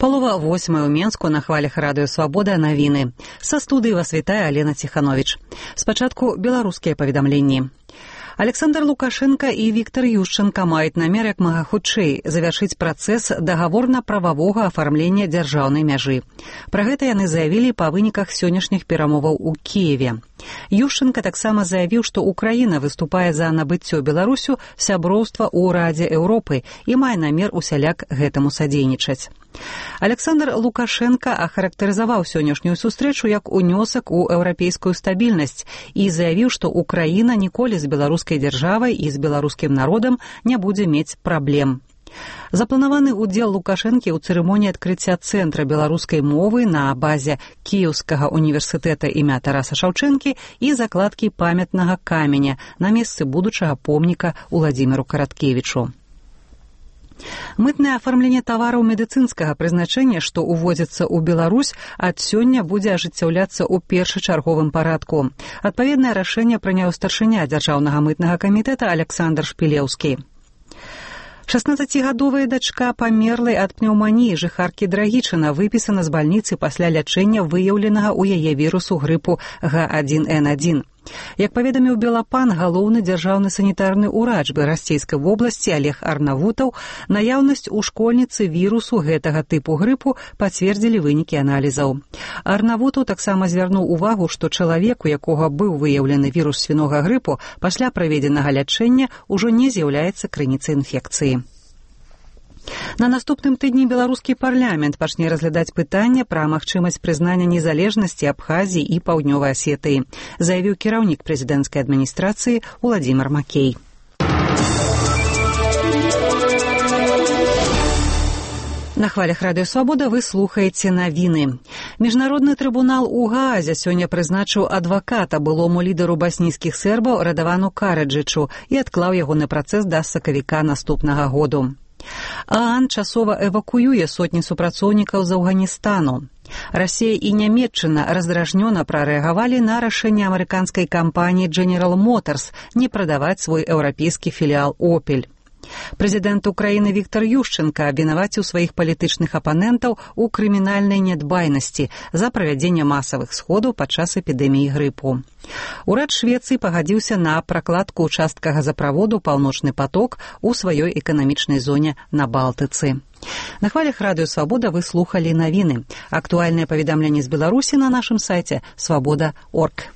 8:30 ў Менску на хвалях радыё «Свабода» навіны. Са студыі вас вітае Алена Ціхановіч. Спачатку беларускія паведамленні. Александр Лукашенко і Віктор Ющенко маюць намер як мага хутчэй завяршыць працэс дагаворна-прававога афармлення дзяржаўнай мяжы. Пра гэта яны заявілі па выніках сённяшніх перамоваў у Кіеве. Ющенко таксама заявіў, што Украіна выступае за набыццё Беларусю сяброўства ў Радзе Еўропы і мае намер усяляк гэтаму садзейнічаць. Александр Лукашенко ахарактарызаваў сённяшнюю сустрэчу як унёсак у еўрапейскую стабільнасць і заявіў, што Украіна ніколі з беларускай дзяржавай і з беларускім народам не будзе мець праблем. Запланаваны ўдзел Лукашэнкі ў цырымоніі адкрыцця цэнтра беларускай мовы на базе Кіеўскага універсітэта імя Тараса Шаўчэнкі і закладкі памятнага каменя на месцы будучага помніка Уладзіміру Караткевічу. Мытнае афармленне тавараў медыцынскага прызначэння, што ўвозіцца ў Беларусь, ад сёння будзе ажыццяўляцца ў першачарговым парадку. Адпаведнае рашэнне прыняў старшыня дзяржаўнага мытнага камітэта Александр Шпілеўскі. 16-гадовая дачка памерлай ад пнеўманіі жыхаркі Драгічына выпісана з бальніцы пасля лячэння выяўленага ў яе вірусу грыпу H1N1. Як паведаміў Белапан, галоўны дзяржаўны санітарны ўрач Расійскай вобласці Олег Арнавутаў, наяўнасць у школьніцы вірусу гэтага тыпу грыпу пацвердзілі вынікі аналізаў. Арнавутаў таксама звярнуў увагу, што чалавек, у якога быў выяўлены вірус свінога грыпу, пасля праведзенага лячэння ўжо не з'яўляецца крыніцай інфекцыі. На наступным тыдні беларускі парламент пачне разглядаць пытанне пра магчымасць прызнання незалежнасці Абхазіі і Паўднёвай Асетыі, заявіў кіраўнік прэзідэнцкай адміністрацыі Уладзімір Макей. На хвалях радыё «Свабода» вы слухаеце навіны. Міжнародны трыбунал у Гаазе сёння прызначыў адваката былому лідару баснійскіх сербаў Радавану Караджычу і адклаў яго на працэс да сакавіка наступнага году. ААН часова эвакуюе сотні супрацоўнікаў з Афганістану. Расія і Нямецчына раздражнёна прарэагавалі на рашэнне амерыканскай кампаніі General Motors не прадаваць свой еўрапейскі філіал «Опель». Прэзідэнт Украіны Віктор Ющенко абвінаваціў сваіх палітычных апанентаў у крымінальнай нядбайнасці за правядзенне масавых сходаў падчас эпідэміі грыпу. Урад Швецыі пагадзіўся на пракладку ўчастка газаправоду «Паўночны поток» у сваёй эканамічнай зоне на Балтыцы. На хвалях радыё «Свабода» вы слухалі навіны. Актуальныя паведамленні з Беларусі на нашым сайце свабода.орг.